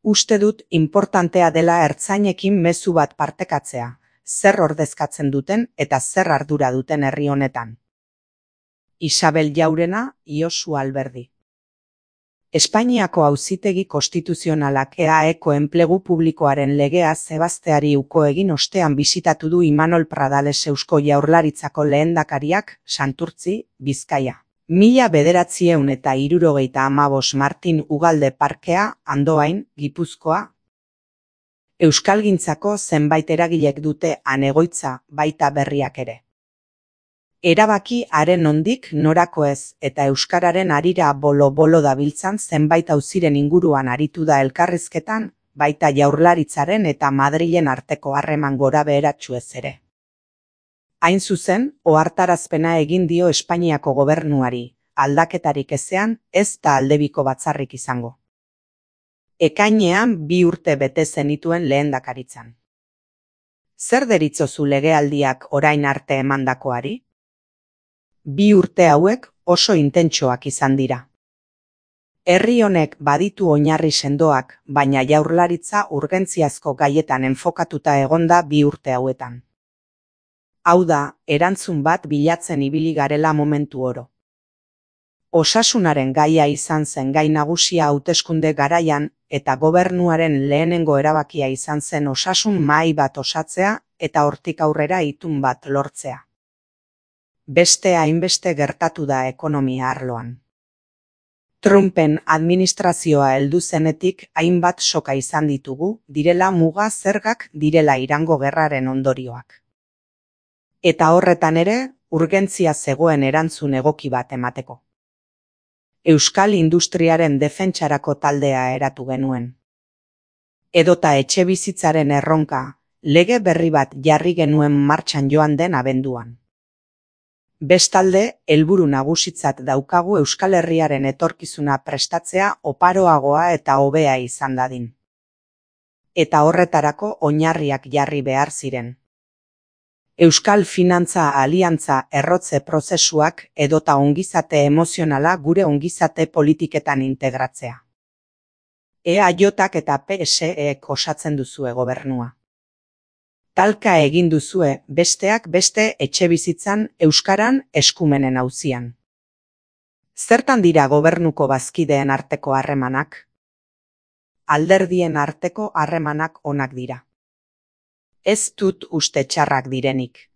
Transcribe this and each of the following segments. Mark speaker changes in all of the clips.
Speaker 1: Uste dut inportantea dela ertzainekin mezu bat partekatzea, zer ordezkatzen duten eta zer ardura duten herri honetan. Isabel Jaurena, Josu Alberdi. Espainiako Auzitegi Konstituzionalak EAEko enplegu publikoaren legea zebazteari uko egin ostean bisitatu du Imanol Pradales Eusko Jaurlaritzako lehendakariak, Santurtzi, Bizkaia. 1975 Martin Ugalde Parkea, Andoain, Gipuzkoa. Euskalgintzako zenbait eragilek dute han egoitza, baita berriak ere. Erabaki haren nondik norako ez eta euskararen harira bolo-bolo dabiltzan zenbait auziren inguruan aritu da elkarrizketan, baita Jaurlaritzaren eta Madrilen arteko harreman gorabeheratsuez ere. Hain zuzen, ohartarazpena egin dio Espainiako gobernuari, aldaketarik ezean ez da aldebiko batzarrik izango. Ekainean 2 urte bete zenituen lehendakaritzan. Zer deritzozu legealdiak orain arte emandakoari? 2 urte hauek oso intentsoak izan dira. Herri honek baditu oinarri sendoak, baina Jaurlaritza urgentziazko gaietan enfokatuta egonda 2 urte hauetan. Hau da, erantzun bat bilatzen ibili garela momentu oro. Osasunaren gaia izan zen gai nagusia hauteskunde garaian eta gobernuaren lehenengo erabakia izan zen osasun mahai bat osatzea eta hortik aurrera itun bat lortzea. Beste hainbeste gertatu da ekonomia arloan. Trumpen administrazioa heldu zenetik hainbat soka izan ditugu, direla muga zergak direla Irango gerraren ondorioak. Eta horretan ere, urgentzia zegoen erantzun egoki bat emateko. Euskal industriaren defentsarako taldea eratu genuen. Edota etxebizitzaren erronka, lege berri bat jarri genuen martxan joan den abenduan. Bestalde, helburu nagusitzat daukagu Euskal Herriaren etorkizuna prestatzea oparoagoa eta hobea izan dadin. Eta horretarako oinarriak jarri behar ziren. Euskal Finantza Aliantza errotze prozesuak edota ongizate emozionala gure ongizate politiketan integratzea. EAJak eta PSEek osatzen duzue gobernua. Talka egin duzue besteak beste etxebizitzan euskaran eskumenen auzian. Zertan dira gobernuko bazkideen arteko harremanak? Alderdien arteko harremanak onak dira. Ez dut uste txarrak direnik.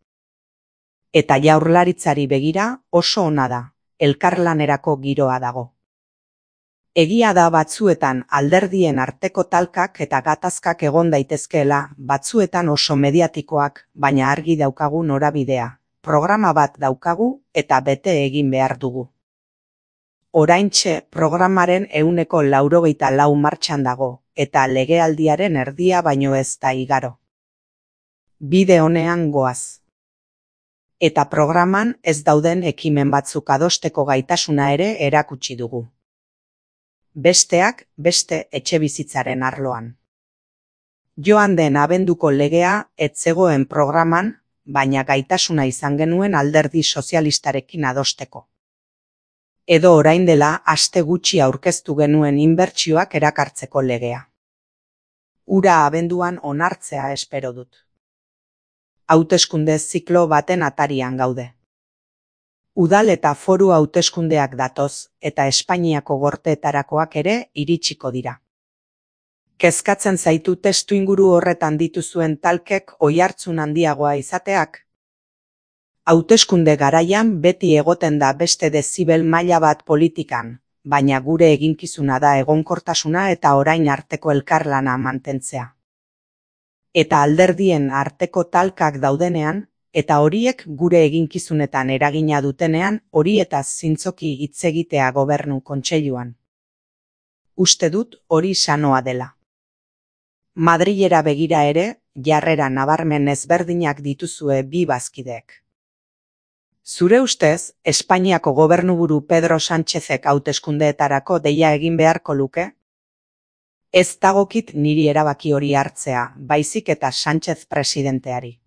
Speaker 1: Eta Jaurlaritzari begira oso ona da, elkarlanerako giroa dago. Egia da batzuetan alderdien arteko talkak eta gatazkak egon daitezkeela, batzuetan oso mediatikoak, baina argi daukagu norabidea, programa bat daukagu eta bete egin behar dugu. Oraintxe programaren 94 martxan dago, eta legealdiaren erdia baino ez da igaro. Bide honean goaz. Eta programan ez dauden ekimen batzuk adosteko gaitasuna ere erakutsi dugu. Besteak beste etxebizitzaren arloan. Joan den abenduko legea ez zegoen programan, baina gaitasuna izan genuen alderdi sozialistarekin adosteko. Edo orain dela aste gutxi aurkeztu genuen inbertsioak erakartzeko legea. Hura abenduan onartzea espero dut. Hauteskunde ziklo baten atarian gaude. Udal eta foru hauteskundeak datoz eta Espainiako gorteetarakoak ere iritsiko dira. Kezkatzen zaitu testuinguru horretan dituzuen talkek oihartzun handiagoa izateak? Hauteskunde garaian beti egoten da beste dezibel maila bat politikan, baina gure eginkizuna da egonkortasuna eta orain arteko elkarlana mantentzea. Eta alderdien arteko talkak daudenean, eta horiek gure eginkizunetan eragina dutenean horietaz zintzoki hitz egitea gobernu kontseiluan. Uste dut hori sanoa dela. Madrilera begira ere, jarrera nabarmen ezberdinak dituzue bi bazkideek. Zure ustez, Espainiako gobernuburu Pedro Sánchezek hauteskundeetarako deia egin beharko luke? Ez dagokit niri erabaki hori hartzea, baizik eta Sánchez presidenteari.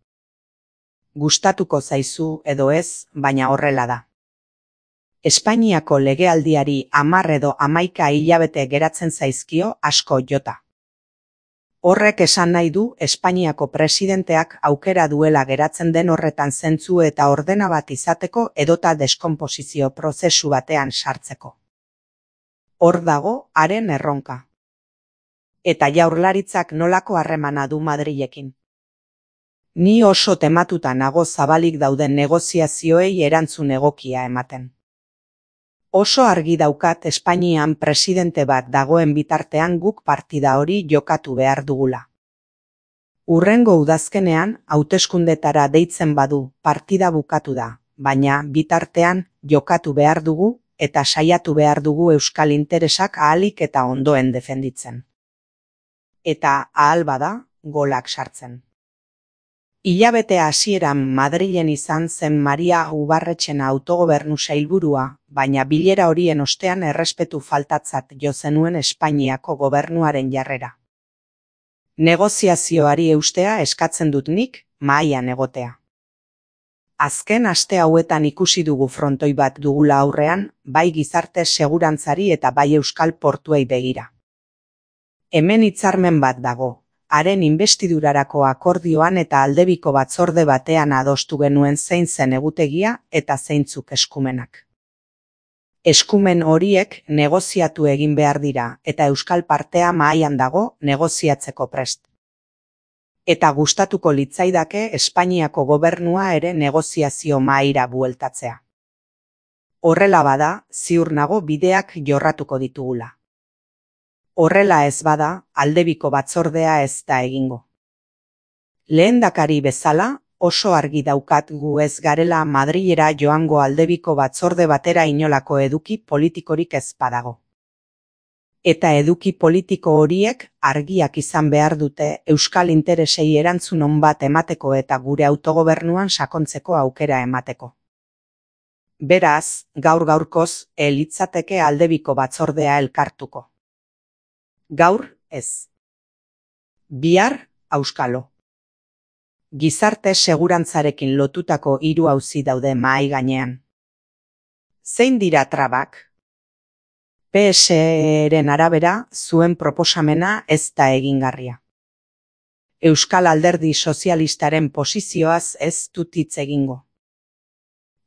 Speaker 1: Gustatuko zaizu edo ez, baina horrela da. Espainiako legealdiari 10 edo 11 hilabete geratzen zaizkio asko jota. Horrek esan nahi du Espainiako presidenteak aukera duela geratzen den horretan zentzu eta ordena bat izateko edota deskonposizio prozesu batean sartzeko. Hor dago haren erronka. Eta Jaurlaritzak nolako harremana du Madrilekin. Ni oso tematuta nago zabalik dauden negoziazioei erantzun egokia ematen. Oso argi daukat Espainian presidente bat dagoen bitartean guk partida hori jokatu behar dugula. Hurrengo udazkenean hauteskundetara deitzen badu partida bukatu da, baina bitartean jokatu behar dugu eta saiatu behar dugu euskal interesak ahalik eta ondoen defenditzen. Eta ahal bada, golak sartzen. Hilabete hasieran Madrilen izan zen Maria Ubarretxena autogobernu sailburua, baina bilera horien ostean errespetu faltatzat jo zenuen Espainiako gobernuaren jarrera. Negoziazioari eustea eskatzen dut nik, mahaian egotea. Azken aste hauetan ikusi dugu frontoi bat dugula aurrean, bai gizarte segurantzari eta bai euskal portuei begira. Hemen hitzarmen bat dago. Haren inbestidurarako akordioan eta aldebiko batzorde batean adostu genuen zein zen egutegia eta zeintzuk eskumenak. Eskumen horiek negoziatu egin behar dira eta euskal partea mahaian dago negoziatzeko prest. Eta gustatuko litzaidake Espainiako gobernua ere negoziazio mahaira bueltatzea. Horrela bada, ziur nago bideak jorratuko ditugula. Horrela ez bada, aldebiko batzordea ez da egingo. Lehendakari bezala, oso argi daukat gu ez garela Madrilera joango aldebiko batzorde batera inolako eduki politikorik ez badago. Eta eduki politiko horiek argiak izan behar dute euskal interesei erantzun on bat emateko eta gure autogobernuan sakontzeko aukera emateko. Beraz, gaur-gaurkoz, litzateke aldebiko batzordea elkartuko. Gaur, ez. Bihar, auskalo. Gizarte segurantzarekin lotutako 3 auzi daude mahai gainean. Zein dira trabak? PSE-ren arabera, zuen proposamena ez da egingarria. Euskal Alderdi Sozialistaren posizioaz ez dut hitz egingo.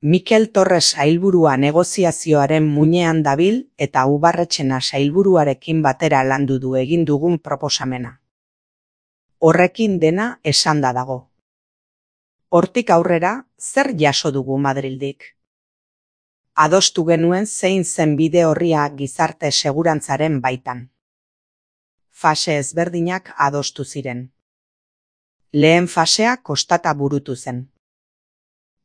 Speaker 1: Mikel Torres sailburua negoziazioaren muinean dabil eta Ubarretxena sailburuarekin batera landu du egin dugun proposamena. Horrekin dena esanda dago. Hortik aurrera, zer jaso dugu Madrildik? Adostu genuen zein zen bide orria gizarte segurantzaren baitan. Fase ezberdinak adostu ziren. Lehen fasea kostata burutu zen.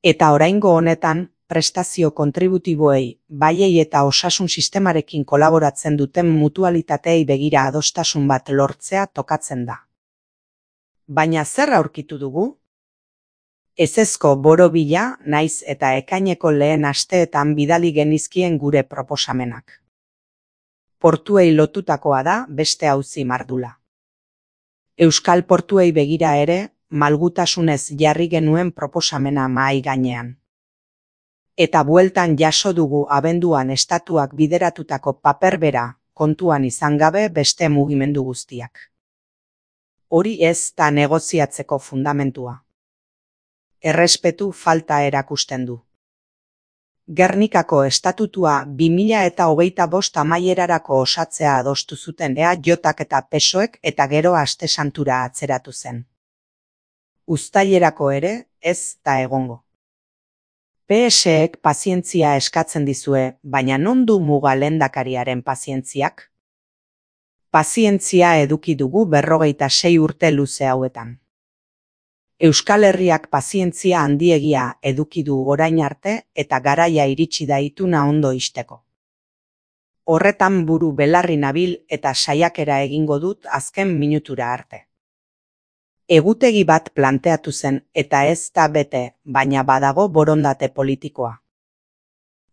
Speaker 1: Eta oraingo honetan, prestazio kontributiboei, baiei eta osasun sistemarekin kolaboratzen duten mutualitateei begira adostasun bat lortzea tokatzen da. Baina zer aurkitu dugu? Ezezko borobila naiz eta ekaineko lehen asteetan bidali genizkien gure proposamenak. Portuei lotutakoa da beste auzi mardula. Euskal portuei begira ere, malgutasunez jarri genuen proposamena mahai gainean. Eta bueltan jaso dugu abenduan estatuak bideratutako paper bera kontuan izan gabe beste mugimendu guztiak. Hori ez da negoziatzeko fundamentua. Errespetu falta erakusten du. Gernikako estatutua 2025 amaierarako osatzea adostu zuten EAJak eta PSOEk eta gero Aste Santura atzeratu zen. Uztailerako ere ez da egongo. PSek pazientzia eskatzen dizue, baina non du muga lehendakariaren pazientziak? Pazientzia eduki dugu 46 urte luze hauetan. Euskal Herriak pazientzia handiegia eduki du orain arte eta garaia iritsi da ituna ondo ixteko. Horretan buru belarri nabil eta saiakera egingo dut azken minutura arte. Egutegi bat planteatu zen eta ez da bete, baina badago borondate politikoa.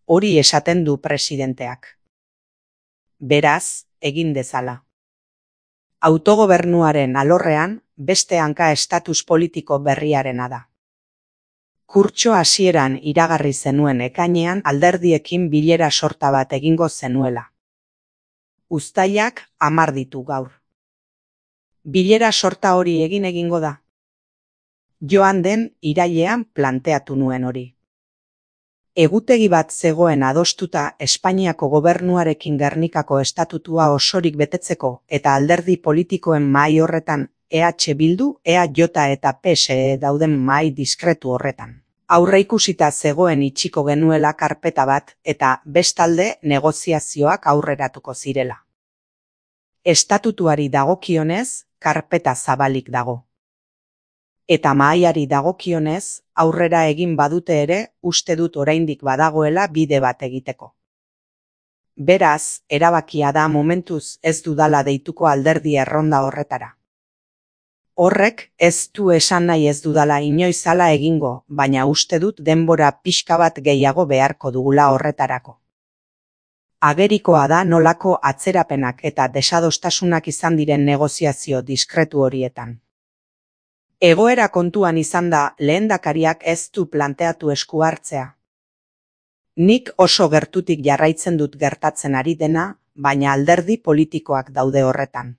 Speaker 1: Hori esaten du presidenteak. Beraz, egin dezala. Autogobernuaren alorrean, beste hanka estatus politiko berriarena da. Kurtso hasieran iragarri zenuen ekainean alderdiekin bilera sorta bat egingo zenuela. Uztailak 10 ditu gaur. Bilera sorta hori egingo da. Joan den irailean planteatu nuen hori. Egutegi bat zegoen adostuta Espainiako gobernuarekin Gernikako estatutua osorik betetzeko eta alderdi politikoen mahai horretan EH Bildu, EAJ eta PSE dauden mahai diskretu horretan. Aurreikusita zegoen itxiko genuela karpeta bat eta bestalde negoziazioak aurreratuko zirela. Estatutuari dagokionez, karpeta zabalik dago. Eta mahaiari dagokionez, aurrera egin badute ere, uste dut oraindik badagoela bide bat egiteko. Beraz, erabakia da momentuz ez dudala deituko alderdi erronda horretara. Horrek ez du esan nahi ez dudala inoiz hala egingo, baina uste dut denbora pixka bat gehiago beharko dugula horretarako. Agerikoa da nolako atzerapenak eta desadostasunak izan diren negoziazio diskretu horietan. Egoera kontuan izan da lehendakariak ez du planteatu esku hartzea. Nik oso gertutik jarraitzen dut gertatzen ari dena, baina alderdi politikoak daude horretan.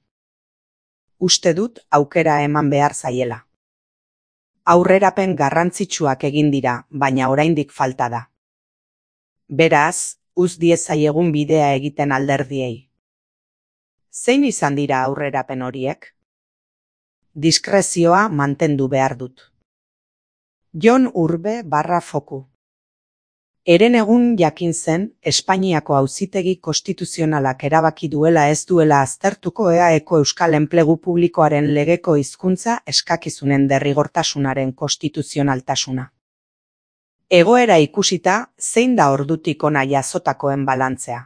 Speaker 1: Uste dut aukera eman behar zaiela. Aurrerapen garrantzitsuak egin dira, baina oraindik falta da. Beraz, uz diezaiegun bidea egiten alderdiei. Zein izan dira aurrerapen horiek? Diskrezioa mantendu behar dut. Jon Urbe /Foku. Herenegun jakin zen, Espainiako Auzitegi Konstituzionalak erabaki duela ez duela aztertuko EAeko Euskal Enplegu Publikoaren legeko hizkuntza eskakizunen derrigortasunaren konstituzionaltasuna. Egoera ikusita, zein da ordutik hona jazotakoen balantzea?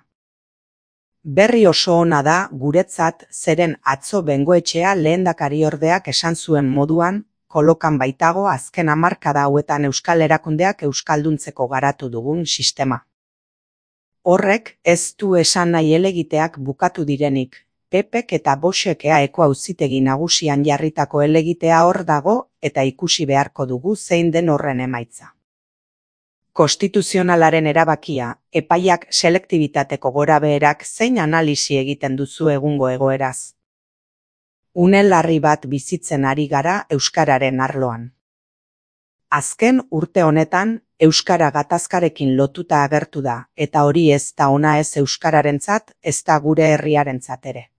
Speaker 1: Berri oso ona da guretzat zeren atzo Bengoetxea lehendakariordeak esan zuen moduan, kolokan baitago azken hamarkada hauetan euskal erakundeak euskalduntzeko garatu dugun sistema. Horrek ez du esan nahi helegiteak bukatu direnik, PPk eta Voxek EAeko Auzitegi Nagusian jarritako helegitea hor dago eta ikusi beharko dugu zein den horren emaitza. Konstituzionalaren erabakia, epaiak selektibitateko gorabeherak zein analisi egiten duzu egungo egoeraz. Une larri bat bizitzen ari gara euskararen arloan. Azken urte honetan, euskara gatazkarekin lotuta agertu da, eta hori ez da ona ez euskararentzat, ez da gure herriarentzat ere.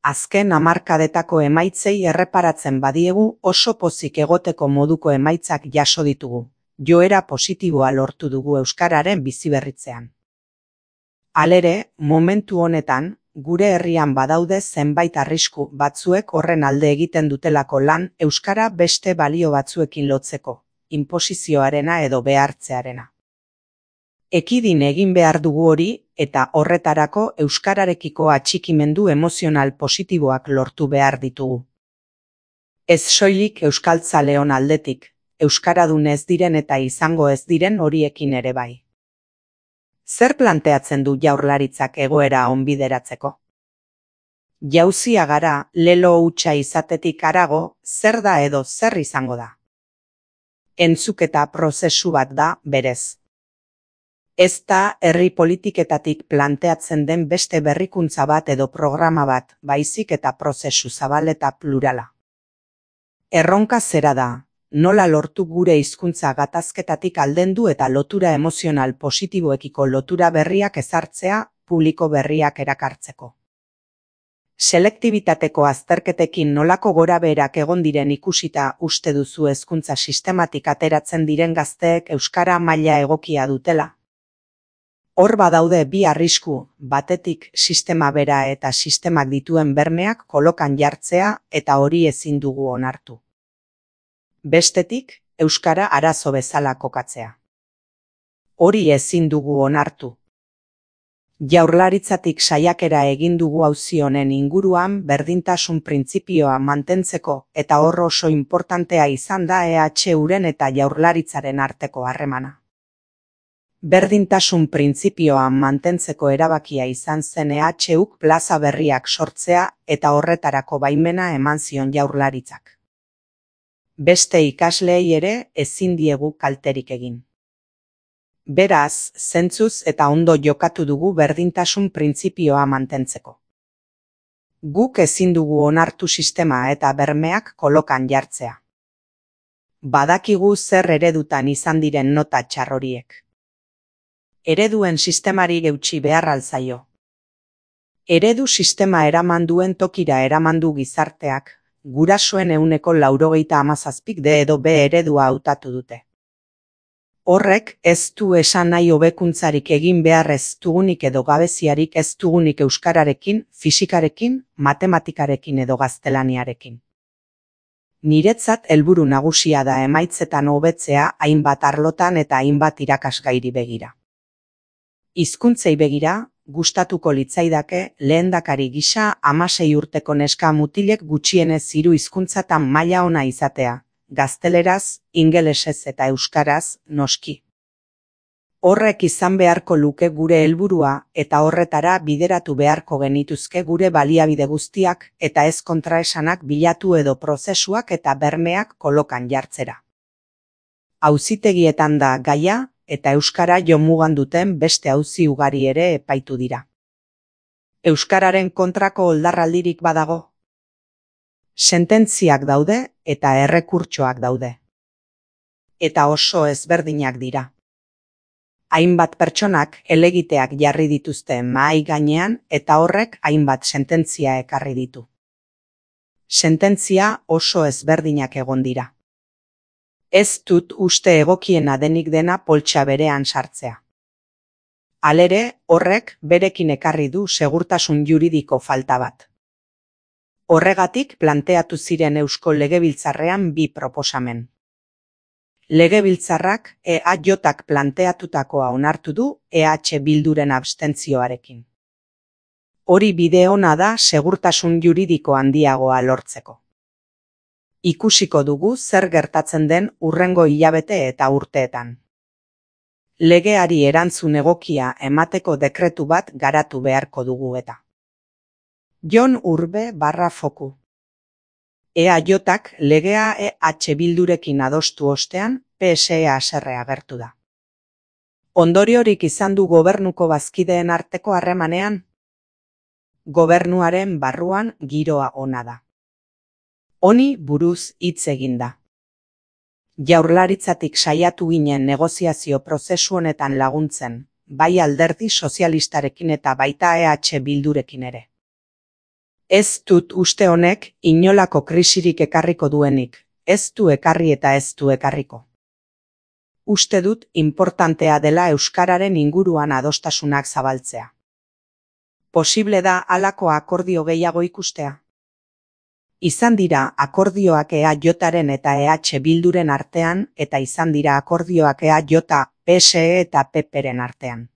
Speaker 1: Azken hamarkadetako emaitzei erreparatzen badiegu oso pozik egoteko moduko emaitzak jaso ditugu. Joera positiboa lortu dugu euskararen biziberritzean. Halere, momentu honetan, gure herrian badaude zenbait arrisku batzuek horren alde egiten dutelako lan euskara beste balio batzuekin lotzeko, inposizioarena edo behartzearena. Ekidin egin behar dugu hori eta horretarako euskararekiko atxikimendu emozional positiboak lortu behar ditugu. Ez soilik euskaltzaleon aldetik, euskaradun ez diren eta izango ez diren horiekin ere bai. Zer planteatzen du Jaurlaritzak egoera onbideratzeko? Jauzia gara, lelo hutsa izatetik harago, zer da edo zer izango da? Entzuketa prozesu bat da, berez. Ez da herri politiketatik planteatzen den beste berrikuntza bat edo programa bat, baizik eta prozesu zabal eta plurala. Erronka zera da, nola lortu gure hizkuntza gatazketatik aldendu eta lotura emozional positiboekiko lotura berriak ezartzea, publiko berriak erakartzeko. Selektibitateko azterketekin nolako gorabeherak egon diren ikusita uste duzu hezkuntza sistematik ateratzen diren gazteek euskara maila egokia dutela. Hor badaude bi arrisku, batetik sistema bera eta sistemak dituen bermeak kolokan jartzea eta hori ezin dugu onartu. Bestetik, euskara arazo bezala kokatzea. Hori ezin dugu onartu. Jaurlaritzatik saiakera egin dugu auzi honen inguruan berdintasun printzipioa mantentzeko eta hor oso inportantea izan da EHUren eta Jaurlaritzaren arteko harremana. Berdintasun printzipioa mantentzeko erabakia izan zen EHUk plaza berriak sortzea eta horretarako baimena eman zion Jaurlaritzak. Beste ikasleei ere ezin diegu kalterik egin. Beraz, zentzuz eta ondo jokatu dugu berdintasun printzipioa mantentzeko. Guk ezin dugu onartu sistema eta bermeak kolokan jartzea. Badakigu zer eredutan izan diren nota txar horiek. Ereduen sistemari eutsi behar alzaio. Eredu sistema eraman duen tokira eraman du gizarteak, gurasoen 97%k D edo B eredua hautatu dute. Horrek ez du esan nahi hobekuntzarik egin behar ez dugunik edo gabeziarik ez dugunik euskararekin, fisikarekin, matematikarekin edo gaztelaniarekin. Niretzat helburu nagusia da emaitzetan hobetzea hainbat arlotan eta hainbat irakasgairi begira. Hizkuntzei begira, gustatuko litzaidake lehendakari gisa 16 urteko neska mutilek gutxienez 3 hizkuntzatan maila ona izatea, gazteleraz, ingelesez eta euskaraz, noski. Horrek izan beharko luke gure helburua eta horretara bideratu beharko genituzke gure baliabide guztiak eta ez kontraesanak bilatu edo prozesuak eta bermeak kolokan jartzera. Auzitegietan da gaia eta euskara jomugan duten beste auzi ugari ere epaitu dira. Euskararen kontrako oldarraldirik badago? Sententziak daude eta errekurtsoak daude. Eta oso ezberdinak dira. Hainbat pertsonak helegiteak jarri dituzte mahai gainean eta horrek hainbat sententzia ekarri ditu. Sententzia oso ezberdinak egon dira. Ez dut uste egokiena denik dena poltsa berean sartzea. Halere, horrek berekin ekarri du segurtasun juridiko falta bat. Horregatik planteatu ziren Eusko Legebiltzarrean 2 proposamen. Legebiltzarrak EAJak planteatutakoa onartu du EH Bilduren abstentzioarekin. Hori bide ona da segurtasun juridiko handiagoa lortzeko. Ikusiko dugu zer gertatzen den hurrengo hilabete eta urteetan. Legeari erantzun egokia emateko dekretu bat garatu beharko dugu eta. Jon Urbe /Foku. EAJak legea EH Bildurekin adostu ostean PSE haserre agertu da. Ondoriorik izan du gobernuko bazkideen arteko harremanean? Gobernuaren barruan giroa ona da. Honi buruz hitz egin da. Jaurlaritzatik saiatu ginen negoziazio prozesu honetan laguntzen, bai alderdi sozialistarekin eta baita EH Bildurekin ere. Ez dut uste honek inolako krisirik ekarriko duenik, ez du ekarri eta ez du ekarriko. Uste dut inportantea dela euskararen inguruan adostasunak zabaltzea. Posible da halako akordio gehiago ikustea? Izan dira akordioak EAJaren eta EH Bilduren artean eta izan dira akordioak EAJ, PSE eta PPren artean.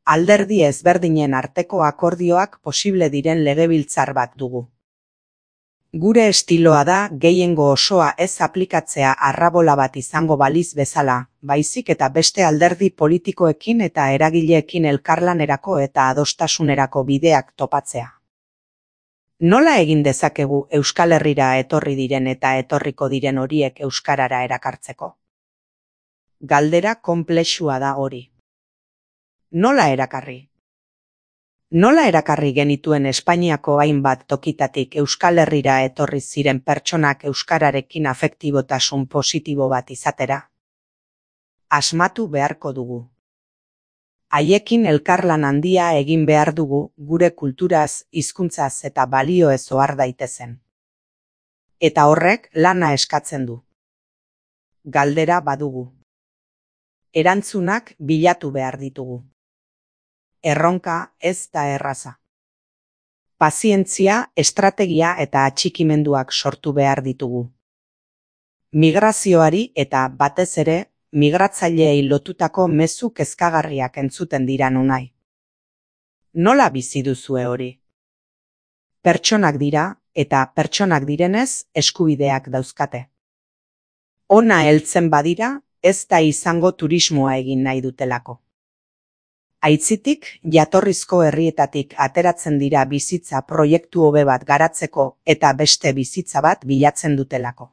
Speaker 1: Alderdi ezberdinen arteko akordioak posible diren legebiltzar bat dugu. Gure estiloa da gehiengo osoa ez aplikatzea arrabola bat izango baliz bezala, baizik eta beste alderdi politikoekin eta eragileekin elkarlanerako eta adostasunerako bideak topatzea. Nola egin dezakegu Euskal Herrira etorri diren eta etorriko diren horiek euskarara erakartzeko? Galdera konplexua da hori. Nola erakarri? Nola erakarri genituen Espainiako hainbat tokitatik Euskal Herrira etorri ziren pertsonak euskararekin afektibotasun positibo bat izatera? Asmatu beharko dugu. Haiekin elkarlan handia egin behar dugu gure kulturaz, hizkuntzaz eta balioez ohar daitezen. Eta horrek lana eskatzen du. Galdera badugu. Erantzunak bilatu behar ditugu. Erronka ez da erraza. Pazientzia, estrategia eta atxikimenduak sortu behar ditugu. Migrazioari eta batez ere, migratzaileei lotutako mezu kezkagarriak entzuten dira nonai. Nola bizi duzue hori? Pertsonak dira eta pertsonak direnez eskubideak dauzkate. Ona heltzen badira, ez da izango turismoa egin nahi dutelako. Aitzitik, jatorrizko herrietatik ateratzen dira bizitza proiektu hobe bat garatzeko eta beste bizitza bat bilatzen dutelako.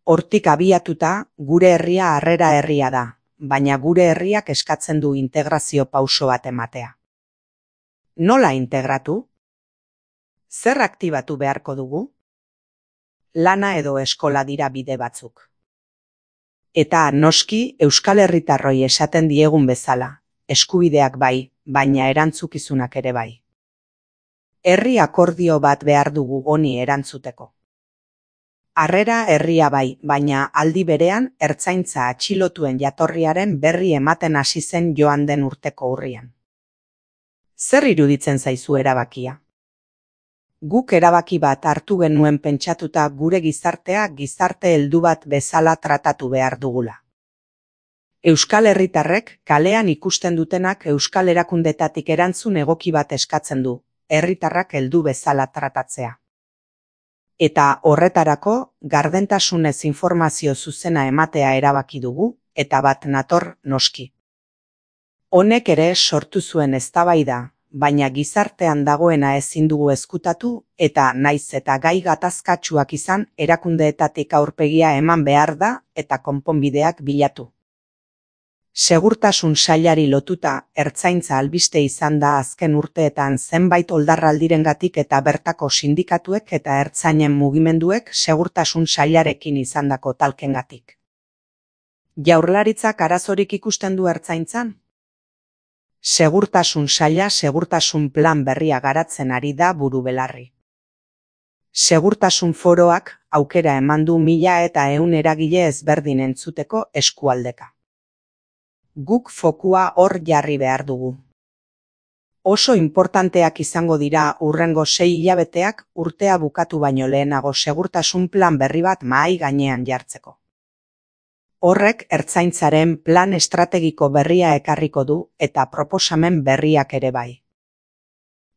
Speaker 1: Hortik abiatuta, gure herria harrera herria da, baina gure herriak eskatzen du integrazio pauso bat ematea. Nola integratu? Zer aktibatu beharko dugu? Lana edo eskola dira bide batzuk. Eta noski Euskal Herritarroi esaten diegun bezala, eskubideak bai, baina erantzukizunak ere bai. Herri akordio bat behar dugu honi erantzuteko. Harrera herria bai, baina aldi berean ertzaintza atxilotuen jatorriaren berri ematen hasi zen joan den urteko urrian. Zer iruditzen zaizu erabakia? Guk erabaki bat hartu genuen pentsatuta gure gizartea gizarte heldu bat bezala tratatu behar dugula. Euskal Herritarrek kalean ikusten dutenak euskal erakundetatik erantzun egoki bat eskatzen du, herritarrak heldu bezala tratatzea. Eta horretarako gardentasunez informazio zuzena ematea erabaki dugu, eta bat nator noski. Honek ere sortu zuen eztabaida, baina gizartean dagoena ezin dugu ezkutatu eta naiz eta gai gatazkatsuak izan erakundeetatik aurpegia eman behar da eta konponbideak bilatu. Segurtasun sailari lotuta ertzaintza albiste izan da azken urteetan zenbait oldarraldirengatik eta bertako sindikatuek eta ertzainen mugimenduek segurtasun sailarekin izandako talkengatik. Jaurlaritzak arazorik ikusten du ertzaintzan? Segurtasun saila segurtasun plan berria garatzen ari da buru belarri. Segurtasun foroak aukera eman du 1100 eragile ezberdin entzuteko eskualdeka. Guk fokua hor jarri behar dugu. Oso inportanteak izango dira hurrengo 6 hilabeteak urtea bukatu baino lehenago segurtasun plan berri bat mahai gainean jartzeko. Horrek ertzaintzaren plan estrategiko berria ekarriko du eta proposamen berriak ere bai.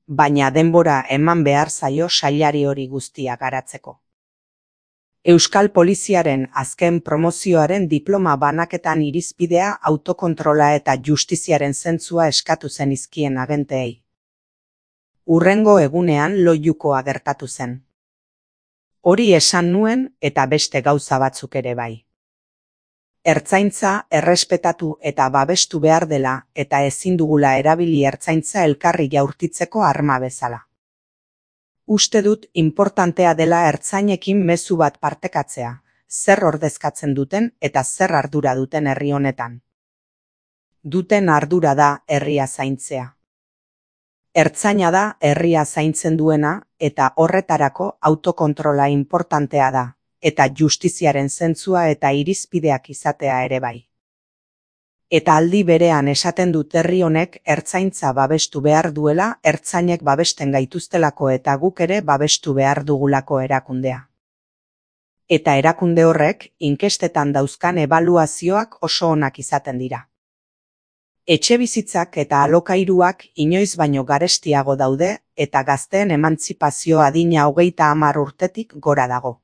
Speaker 1: Baina denbora eman behar zaio sailari hori guztia garatzeko. Euskal Poliziaren azken promozioaren diploma banaketan irizpidea autokontrola eta justiziaren zentzua eskatu zen izkien agenteei. Hurrengo egunean loiukoa gertatu zen. Hori esan nuen eta beste gauza batzuk ere bai. Ertzaintza errespetatu eta babestu behar dela eta ezin dugula erabili ertzaintza elkarri jaurtitzeko arma bezala. Uste dut inportantea dela ertzainekin mezu bat partekatzea, zer ordezkatzen duten eta zer ardura duten herri honetan. Duten ardura da herria zaintzea. Ertzaina da herria zaintzen duena eta horretarako autokontrola inportantea da. Eta justiziaren zentzua eta irizpideak izatea ere bai. Eta aldi berean esaten dut herri honek ertzaintza babestu behar duela ertzainek babesten gaituztelako eta guk ere babestu behar dugulako erakundea. Eta erakunde horrek inkestetan dauzkan ebaluazioak oso onak izaten dira. Etxebizitzak eta alokairuak inoiz baino garestiago daude eta gazteen emantzipazio adina 30 urtetik gora dago.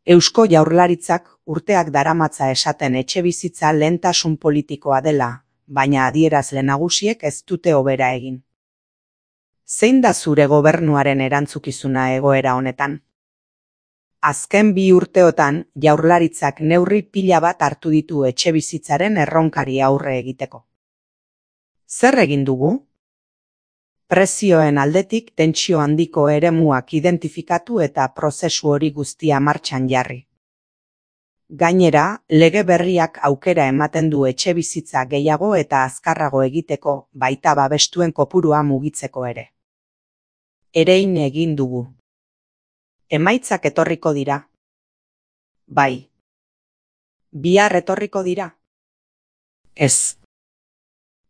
Speaker 1: Eusko Jaurlaritzak urteak daramatza esaten etxebizitza lehentasun politikoa dela, baina adierazle nagusiek ez dute hobera egin. Zein da zure gobernuaren erantzukizuna egoera honetan? Azken 2 urteotan Jaurlaritzak neurri pila bat hartu ditu etxebizitzaren erronkari aurre egiteko. Zer egin dugu? Prezioen aldetik tentsio handiko eremuak identifikatu eta prozesu hori guztia martxan jarri. Gainera, lege berriak aukera ematen du etxebizitza gehiago eta azkarrago egiteko, baita babestuen kopurua mugitzeko ere. Erein egin dugu. Emaitzak etorriko dira. Bai. Bihar etorriko dira. Ez.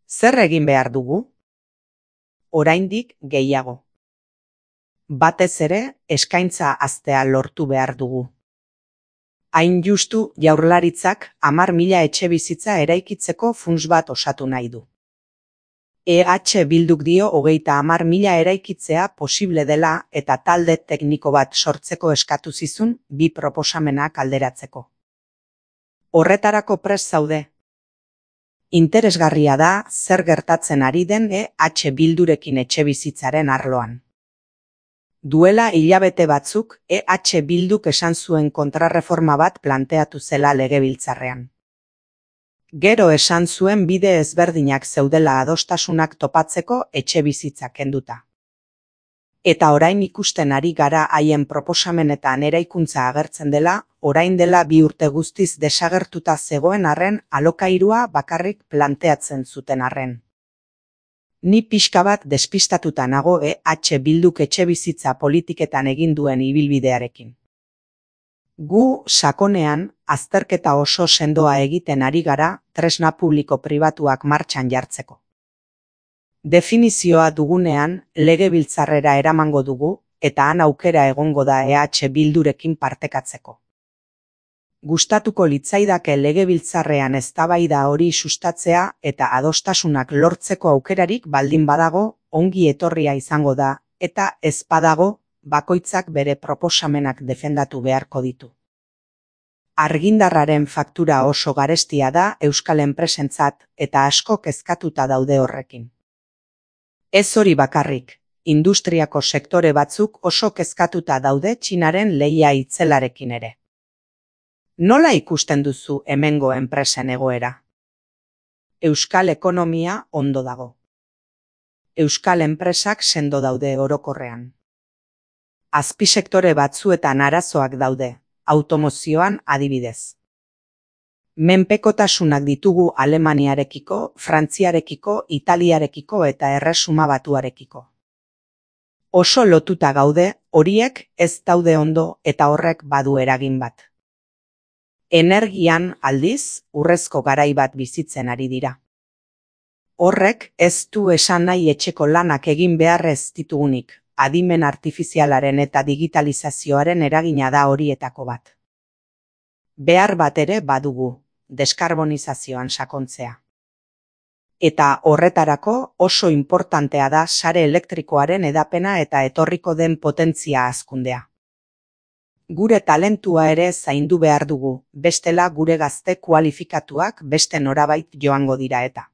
Speaker 1: Zer egin behar dugu? Oraindik gehiago. Batez ere, eskaintza haztea lortu behar dugu. Hain justu Jaurlaritzak 10.000 etxebizitza eraikitzeko funts bat osatu nahi du. EH Bilduk dio 30.000 eraikitzea posible dela eta talde tekniko bat sortzeko eskatu zizun 2 proposamenak alderatzeko. Horretarako prest zaude. Interesgarria da zer gertatzen ari den EH Bildurekin etxebizitzaren arloan. Duela hilabete batzuk EH Bilduk esan zuen kontrarreforma bat planteatu zela legebiltzarrean. Gero esan zuen bide ezberdinak zeudela adostasunak topatzeko etxebizitza kenduta. Eta orain ikusten ari gara haien proposamenetan eraikuntza agertzen dela, orain dela 2 urte guztiz desagertuta zegoen arren alokairua bakarrik planteatzen zuten arren. Ni pixka bat despistatuta nago Bilduk etxebizitza politiketan egin duen ibilbidearekin. Gu, sakonean, azterketa oso sendoa egiten ari gara tresna publiko-pribatuak martxan jartzeko. Definizioa dugunean, legebiltzarrera eramango dugu, eta han aukera egongo da Bildurekin partekatzeko. Gustatuko litzaidake legebiltzarrean eztabaida hori sustatzea eta adostasunak lortzeko aukerarik baldin badago, ongi etorria izango da, eta ez badago, bakoitzak bere proposamenak defendatu beharko ditu. Argindarraren faktura oso garestia da euskal enpresentzat eta asko kezkatuta daude horrekin. Ez hori bakarrik, industriako sektore batzuk oso kezkatuta daude Txinaren lehia itzelarekin ere. Nola ikusten duzu hemengo enpresen egoera? Euskal ekonomia ondo dago. Euskal enpresak sendo daude orokorrean. Azpisektore batzuetan arazoak daude, automozioan adibidez. Menpekotasunak ditugu Alemaniarekiko, Frantziarekiko, Italiarekiko eta Erresuma Batuarekiko. Oso lotuta gaude, horiek ez daude ondo eta horrek badu eragin bat. Energian, aldiz, urrezko garai bat bizitzen ari dira. Horrek ez du esan nahi etxeko lanak egin beharrez ditugunik, adimen artifizialaren eta digitalizazioaren eragina da horietako bat. Behar bat ere badugu, deskarbonizazioan sakontzea. Eta horretarako oso inportantea da sare elektrikoaren hedapena eta etorriko den potentzia hazkundea. Gure talentua ere zaindu behar dugu, bestela gure gazte kualifikatuak beste norabait joango dira eta.